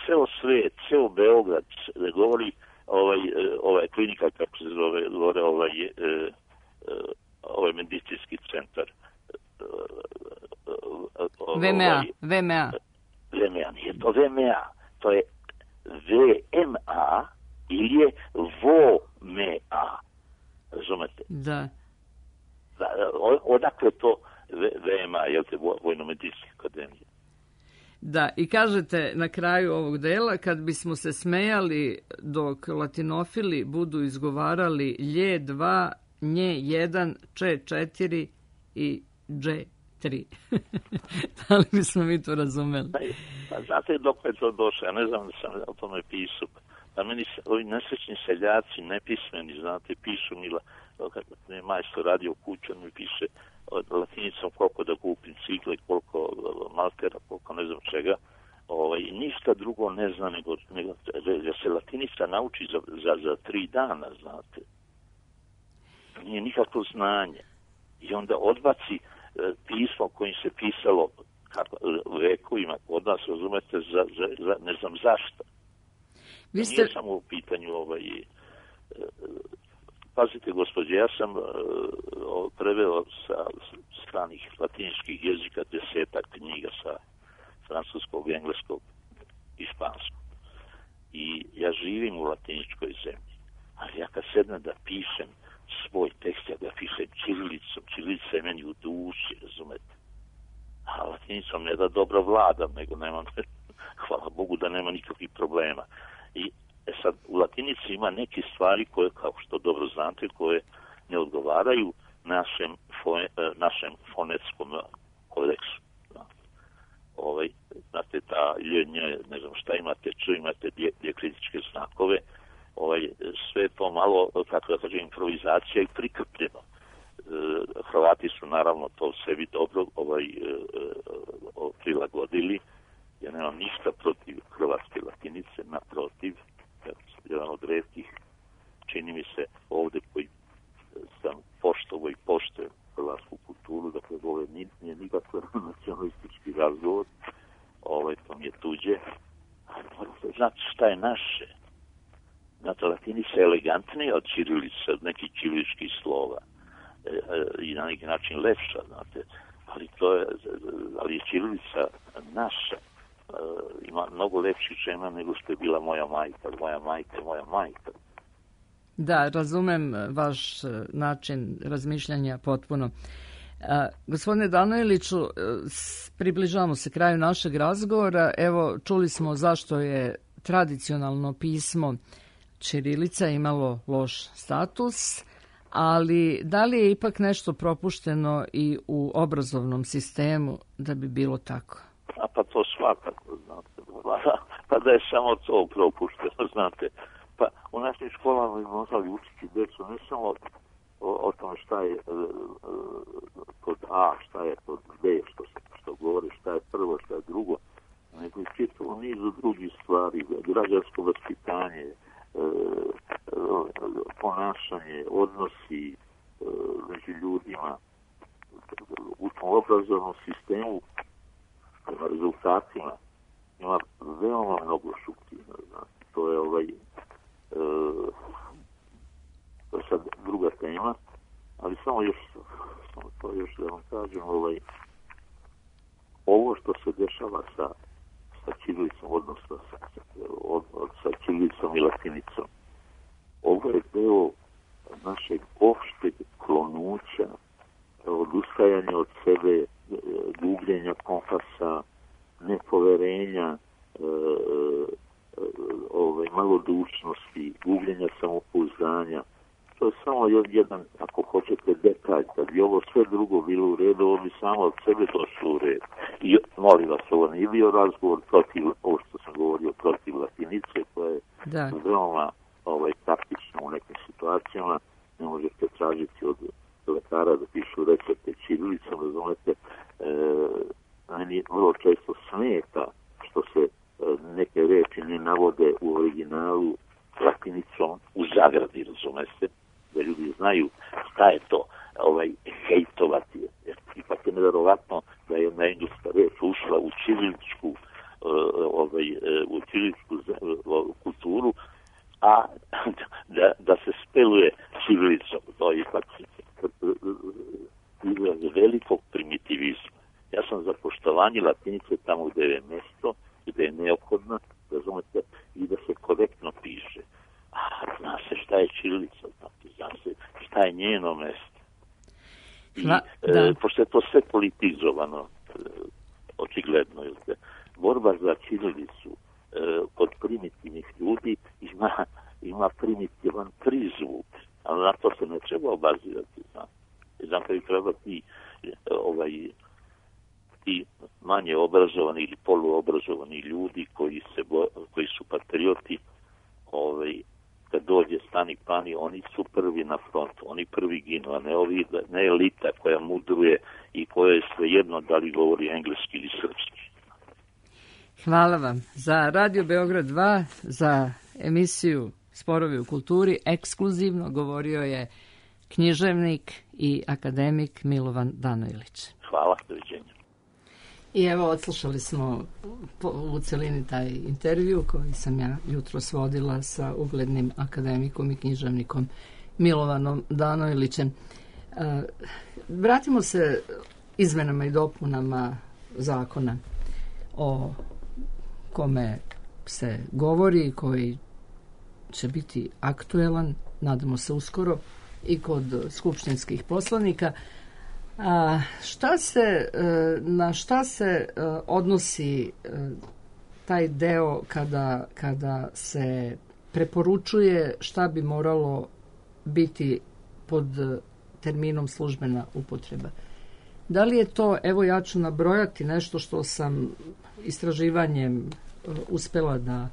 Ceo svet, ceo Beograd, da govori ovaj, ovaj klinika, kako se zove, govore ovaj, ovaj medicinski centar. V M A, V M A. V M A, nije to V M A, to je V M A ili je V O M A. Razumete? Da. Da, odakle to V M A, jel te, Vojno-medicinske akademije? Da, i kažete na kraju ovog dela, kad bismo se smejali dok latinofili budu izgovarali lje dva, nje jedan, če četiri i dže tri. Da li bismo mi to razumeli? Pa znate dok je to došlo, ja ne znam da sam o tome pisao. Da meni ovi nesrećni seljaci, nepismeni, znate, pišu mi, kad mi majstor radio u kuću, on mi piše latinicom koliko da kupim cikle, koliko maltera, koliko ne znam čega. Ovaj, ništa drugo ne zna nego, nego da se latinica nauči za, za, za tri dana, znate. Nije nikakvo znanje. I onda odbaci e, pismo kojim se pisalo kako, vekovima kod nas, razumete, za, za, za, ne znam zašto. Vi ste... Nije samo u pitanju ovaj... E, pazite, gospođe, ja sam e, preveo sa stranih latiničkih jezika desetak knjiga sa francuskog, engleskog i španskog. I ja živim u latiničkoj zemlji. Ali ja kad sednem da pišem svoj tekst, ja ga pišem ćirilicom. Ćirilica je meni u duši, razumete. A latinicom ne da dobro vladam, nego nemam, hvala Bogu da nema nikakvih problema. I e sad, u latinici ima neke stvari koje, kao što dobro znate, koje ne odgovaraju našem, fone, našem fonetskom kodeksu. Ovaj, znate, ta ljenje, ne znam šta imate, ču imate dijakritičke znakove, ovaj, sve to malo, kako da kažem, improvizacija i prikrpljeno. E, Hrvati su naravno to sebi dobro ovaj, e, e, prilagodili. Ja nemam ništa protiv hrvatske latinice, naprotiv, jedan od retkih, čini mi se ovde koji sam poštovo i poštujem hrvatsku kulturu, dakle ovo nije nikakav nacionalistički razgovor, ovaj, to mi je tuđe. Znate šta je naše? Znate, latinica je elegantnija od ćirilice, od nekih ćiriličkih slova e, e, i na neki način lepša, znate, ali to je, ali je ćirilica naša. E, ima mnogo lepših žena nego što je bila moja majka, moja majka, moja majka. Da, razumem vaš način razmišljanja potpuno. A, gospodine Danojliću, približavamo se kraju našeg razgovora. Evo, čuli smo zašto je tradicionalno pismo ćirilica imalo loš status, ali da li je ipak nešto propušteno i u obrazovnom sistemu da bi bilo tako? A pa to svakako, znate. Pa da je samo to propušteno, znate. Pa u našim školama bi možda učiti djecu ne samo o, o tome šta je uh, pod A, šta je pod B, što se što govori, šta je prvo, šta je drugo, nego i čitavo nizu drugih stvari, građansko vaspitanje, uh, uh, ponašanje, odnosi uh, među ljudima. U tom obrazovnom sistemu prema rezultatima ima veoma mnogo šupljina, znači. To je ovaj e, to je sad druga tema, ali samo još samo to još da vam kažem, ovaj ovo što se dešava sa sa ćirilicom, odnosno sa, od, od, sa ćirilicom i latinicom, ovo je deo našeg opšteg klonuća, odustajanja od sebe, gubljenja kompasa, nepoverenja, e, e, ove, malodušnosti, gubljenja samopouzdanja. To je samo jedan, ako hoćete, detalj. Kad bi ovo sve drugo bilo u redu, ovo bi samo od sebe došlo u red. I molim vas, ovo nije bio razgovor protiv, ovo što sam govorio, protiv latinice, koja je da. veoma ovaj, taktična u nekim situacijama. Ne možete tražiti od lekara da pišu recepte ćirilicom, razumete, e, meni vrlo često smeta što se e, neke reči ne navode u originalu latinicom u zagradi, razumete, da ljudi znaju šta je to ovaj, hejtovati. Jer ipak je nevjerovatno da je jedna engleska reč ušla u ćiriličku e, ovaj, u ćiriličku kulturu, a da, da se speluje ćirilicom. To je ipak izraz velikog primitivizma. Ja sam za poštovanje latinice tamo gde je mesto, gde je neophodna, razumete, i da se korektno piše. A zna se šta je ćirilica, zna se šta je njeno mesto. I Na, e, pošto je to sve politizovano, e, očigledno, je borba za ćirilicu e, kod primitivnih ljudi ima, ima primitivan prizvuk, ali na to se ne treba obazirati, znam. Znam kada treba ti, ovaj, ti manje obrazovani ili poluobrazovani ljudi koji, se, koji su patrioti, ovaj, kad dođe stani pani, oni su prvi na frontu, oni prvi ginu, a ne, ovi, ne elita koja mudruje i koja je svejedno da li govori engleski ili srpski. Hvala vam. Za Radio Beograd dva, za emisiju Sporovi u kulturi, ekskluzivno govorio je književnik i akademik Milovan Danojlić. Hvala, doviđenja. I evo, odslušali smo u celini taj intervju koji sam ja jutros vodila sa uglednim akademikom i književnikom Milovanom Danojlićem. Vratimo se izmenama i dopunama zakona o kome se govori, koji će biti aktuelan, nadamo se uskoro, i kod skupštinskih poslanika. A šta se, na šta se odnosi taj deo kada, kada se preporučuje šta bi moralo biti pod terminom službena upotreba? Da li je to, evo ja ću nabrojati nešto što sam istraživanjem uspela da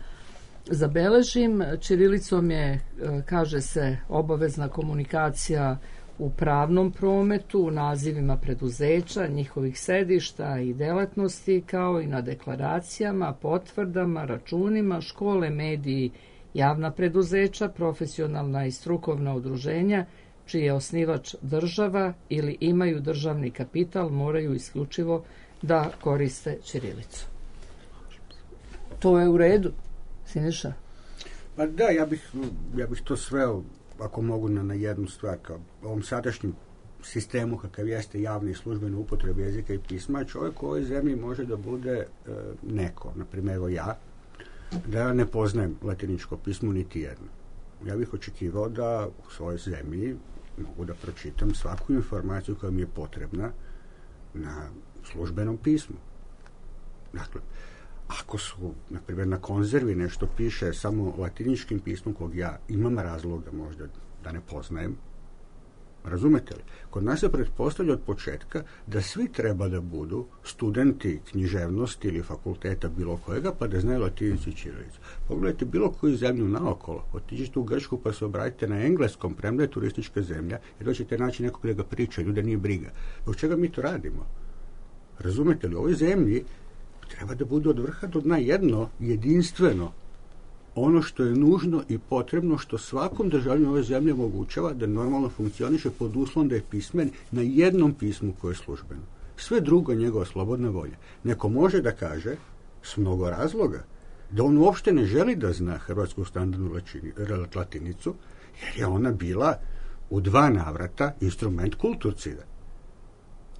zabeležim. Ćirilicom je, kaže se, obavezna komunikacija u pravnom prometu, u nazivima preduzeća, njihovih sedišta i delatnosti, kao i na deklaracijama, potvrdama, računima, škole, mediji, javna preduzeća, profesionalna i strukovna udruženja, čiji je osnivač država ili imaju državni kapital, moraju isključivo da koriste ćirilicu. To je u redu, Siniša? Pa da, ja bih, ja bih to sveo, ako mogu, na, na jednu stvar. Kao ovom sadašnjem sistemu kakav jeste javne i službene upotrebe jezika i pisma, čovjek u ovoj zemlji može da bude e, neko, na primjer ja, da ja ne poznajem latiničko pismo niti jedno. Ja bih očekivao da u svojoj zemlji mogu da pročitam svaku informaciju koja mi je potrebna na službenom pismu. Dakle, ako su, na primjer, na konzervi nešto piše samo latiničkim pismom kog ja imam razloga možda da ne poznajem, Razumete li? Kod nas se pretpostavlja od početka da svi treba da budu studenti književnosti ili fakulteta bilo kojega, pa da znaju latinicu i ćirilicu. Pogledajte bilo koju zemlju naokolo, otiđite u Grčku pa se obratite na engleskom, premda je turistička zemlja, i doćete naći nekog da ga priča, ljude nije briga. Zbog čega mi to radimo? Razumete li? U ovoj zemlji treba da bude od vrha do dna jedno jedinstveno ono što je nužno i potrebno, što svakom državljaninu ove zemlje omogućava da normalno funkcioniše pod uslovom da je pismen na jednom pismu koje je službeno. Sve drugo je njegova slobodna volja. Neko može da kaže, s mnogo razloga, da on uopšte ne želi da zna hrvatsku standardnu latinicu, jer je ona bila u dva navrata instrument kulturcida.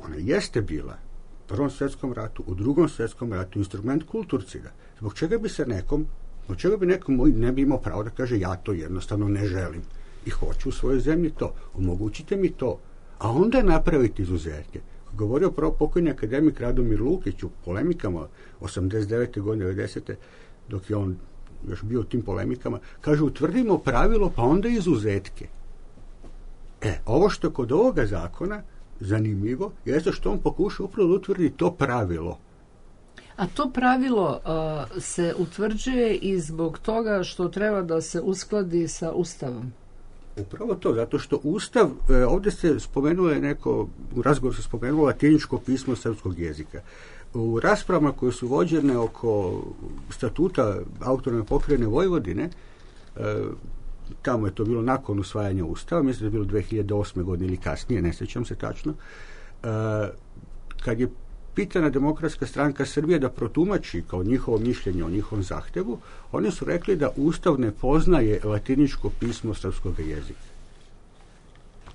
Ona jeste bila u Prvom svjetskom ratu, u Drugom svjetskom ratu instrument kulturcida. Zbog čega bi se nekom Od čega bi neko moj ne bi imao pravo da kaže ja to jednostavno ne želim i hoću u svojoj zemlji to. Omogućite mi to. A onda napraviti izuzetke. Govorio prvo pokojni akademik Radomir Lukić u polemikama osamdeset devete godine, devedesete dok je on još bio u tim polemikama, kaže utvrdimo pravilo pa onda izuzetke. E, ovo što je kod ovoga zakona zanimljivo jeste što on pokuša upravo da utvrdi to pravilo. A to pravilo uh, se utvrđuje i zbog toga što treba da se uskladi sa Ustavom. Upravo to, zato što Ustav, e, ovdje se spomenulo je neko, u razgovoru se spomenulo latiničko pismo srpskog jezika. U raspravama koje su vođene oko statuta autonomne pokrajine Vojvodine, e, tamo je to bilo nakon usvajanja Ustava, mislim da je bilo dve hiljade osme godine ili kasnije, ne sjećam se tačno, e, kad je pitana Demokratska stranka Srbije da protumači kao njihovo mišljenje o njihovom zahtevu, oni su rekli da Ustav ne poznaje latiničko pismo srpskog jezika.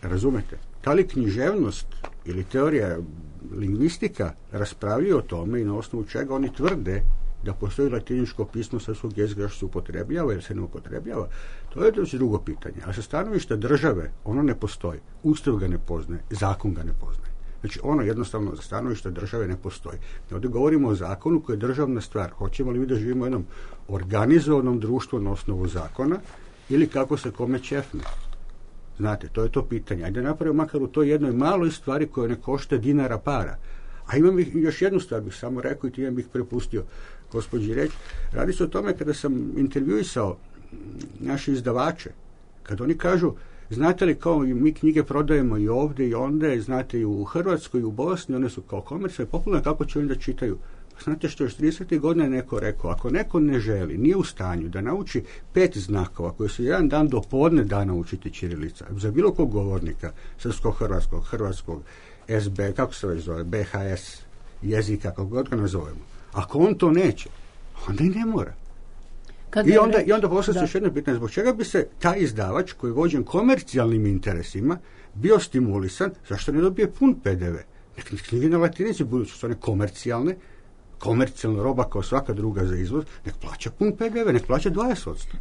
Razumete? Da li književnost ili teorija lingvistika raspravljaju o tome i na osnovu čega oni tvrde da postoji latiničko pismo srpskog jezika što se upotrebljava ili se ne upotrebljava, to je već drugo pitanje. A sa stanovišta države ono ne postoji. Ustav ga ne poznaje, zakon ga ne poznaje. Znači, ono jednostavno za stanovište države ne postoji. Ovdje govorimo o zakonu koji je državna stvar. Hoćemo li mi da živimo u jednom organizovanom društvu na osnovu zakona ili kako se kome ćefne? Znate, to je to pitanje. Ajde napravimo makar u toj jednoj maloj stvari koja ne košta dinara para. A imam još jednu stvar bih samo rekao i time bih prepustio gospođi reći. Radi se o tome kada sam intervjuisao naše izdavače, kad oni kažu znate li kao mi knjige prodajemo i ovdje i onda, znate i u Hrvatskoj i u Bosni, one su kao komercijalne, popularne, kako će oni da čitaju? Znate što još tridesetih godina je neko rekao, ako neko ne želi, nije u stanju da nauči pet znakova koje su jedan dan do podne da naučiti ćirilica, za bilo kog govornika, srpskog, hrvatskog, hrvatskog, S B, kako se već zove, B H S jezika, kako god ga nazovemo. Ako on to neće, onda i ne mora. Kad I onda, i onda poslije još jedno pitanje, zbog čega bi se taj izdavač koji je vođen komercijalnim interesima bio stimulisan, zašto ne dobije pun P D V? Nek knjige na latinici, budući su one komercijalne, komercijalna roba kao svaka druga za izvoz, nek plaća pun P D V, nek plaća dvadeset posto.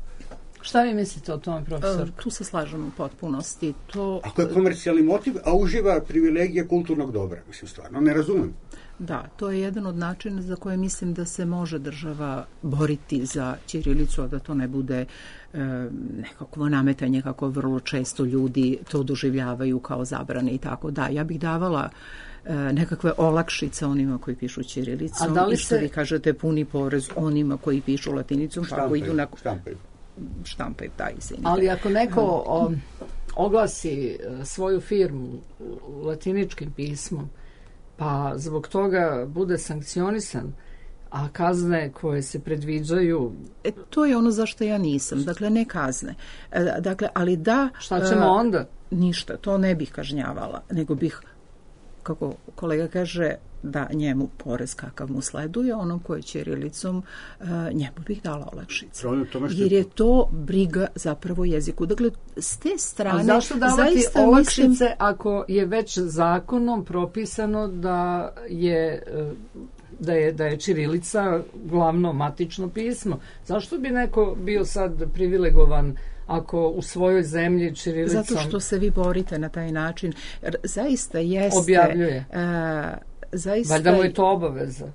Šta vi mislite o tome, profesor? E, tu se slažemo u potpunosti. To... Ako je komercijalni motiv, a uživa privilegije kulturnog dobra, mislim stvarno, ne razumem. Da, to je jedan od načina za koje mislim da se može država boriti za ćirilicu, a da to ne bude e, nekakvo nametanje kako vrlo često ljudi to doživljavaju kao zabrane i tako. Da, ja bih davala e, nekakve olakšice onima koji pišu ćirilicom i što se... vi kažete puni porez onima koji pišu latinicom. Štampaju, kako idu na... štampaju. štampaju, da, izvinite. Ali ako neko o, oglasi svoju firmu latiničkim pismom, pa zbog toga bude sankcionisan, a kazne koje se predviđaju... E, to je ono zašto ja nisam. Dakle, ne kazne. E, dakle, ali da... Šta ćemo e, onda? Ništa, to ne bih kažnjavala, nego bih, kako kolega kaže, da njemu porez kakav mu sleduje, onom koji je ćirilicom, uh, njemu bih dala olakšice. Jer je to briga zapravo jeziku. Dakle, s te strane... A zašto davati olakšice mislim... ako je već zakonom propisano da je, da je, da je ćirilica glavno matično pismo? Zašto bi neko bio sad privilegovan ako u svojoj zemlji ćirilicom... Zato što se vi borite na taj način. Zaista jeste... Objavljuje. Uh, zaista... Valjda mu je to obaveza.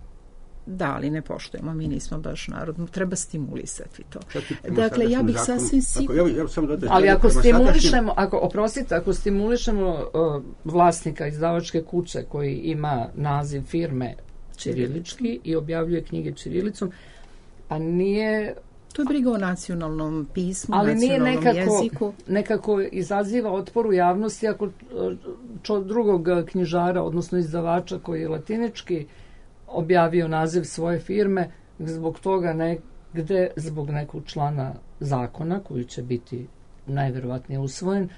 Da, ali ne poštujemo, mi nismo baš narod, treba stimulisati to. Čak i prema Dakle, ja sadašnjem bih zakonu- sasvim Ako, sigurno... ja, ja sam dodao, Ali ako prema stimulišemo, sadašnjem- ako, oprostite, ako stimulišemo uh, vlasnika izdavačke kuće koji ima naziv firme ćirilički i objavljuje knjige ćirilicom, a nije... To je briga o nacionalnom pismu, Ali nije nacionalnom nekako, jeziku. nekako izaziva otpor u javnosti ako čo drugog knjižara, odnosno izdavača koji je latinički objavio naziv svoje firme, zbog toga negde, zbog nekog člana zakona koji će biti najverovatnije usvojen,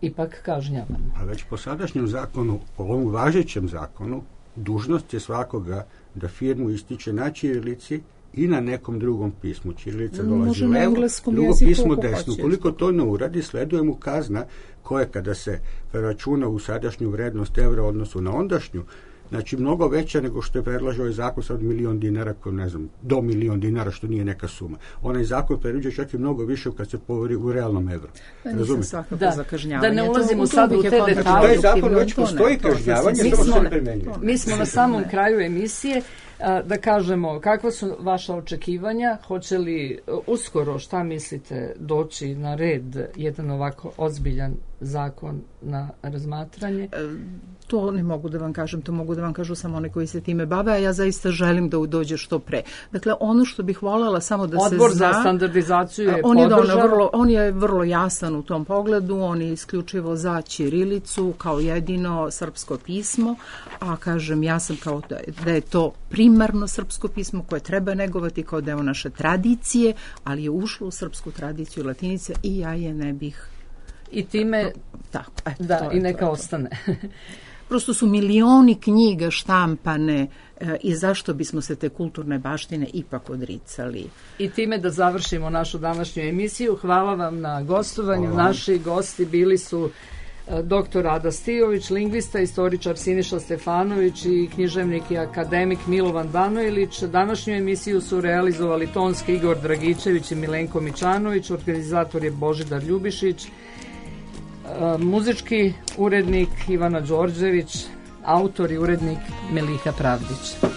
ipak kažnjavan. A već po sadašnjem zakonu, po ovom važećem zakonu, dužnost je svakoga da firmu ističe na ćirilici i na nekom drugom pismu. Ćirilica dolazi Može na levo, engleskom drugo jeziku pismo ako desno. hoće. Koliko to ne uradi, sleduje mu kazna koja kada se računa u sadašnju vrednost evra u odnosu na ondašnju, znači mnogo veća nego što je predlažao ovaj zakon sad milion dinara, ko ne znam, do milion dinara, što nije neka suma. Onaj zakon predviđa čak i mnogo više kad se povori u realnom evru. Da, nisam Razumete? svakako Da, za kažnjavanje. da ne To- ulazimo to sad bih u je te kontra- detalje. Taj zakon produktivno, već to ne, postoji to sasvim kažnjavanje, sigurno samo se ne ne. primjenjuje. Mi smo na samom kraju emisije. A, da kažemo, kakva su vaša očekivanja? Hoće li uh, uskoro, šta mislite, doći na red jedan ovako ozbiljan zakon na razmatranje? To ne mogu da vam kažem, to mogu da vam kažu samo oni koji se time bave, a ja zaista želim da dođe što pre. Dakle, ono što bih voljela samo da Odbor se zna... za standardizaciju je on je, doneo podržao. vrlo, on je vrlo jasan u tom pogledu, on je isključivo za ćirilicu kao jedino srpsko pismo, a kažem, ja sam kao da, da je to primarno srpsko pismo koje treba negovati kao deo naše tradicije, ali je ušlo u srpsku tradiciju latinice i ja je ne bih... I time, Tako, eto, da, to je i to, neka je to. ostane. Prosto su milioni knjiga štampane e, i zašto bismo se te kulturne baštine ipak odricali. I time da završimo našu današnju emisiju. Hvala vam na gostovanju. Hvala. Naši gosti bili su e, doktor Ada Stijović, lingvista, istoričar Siniša Stefanović i književnik i akademik Milovan Danojlić. Današnju emisiju su realizovali tonski Igor Dragičević i Milenko Mičanović, organizator je Božidar Ljubišić, e, muzički urednik Ivana Đorđević, autor i urednik Melika Pravdić.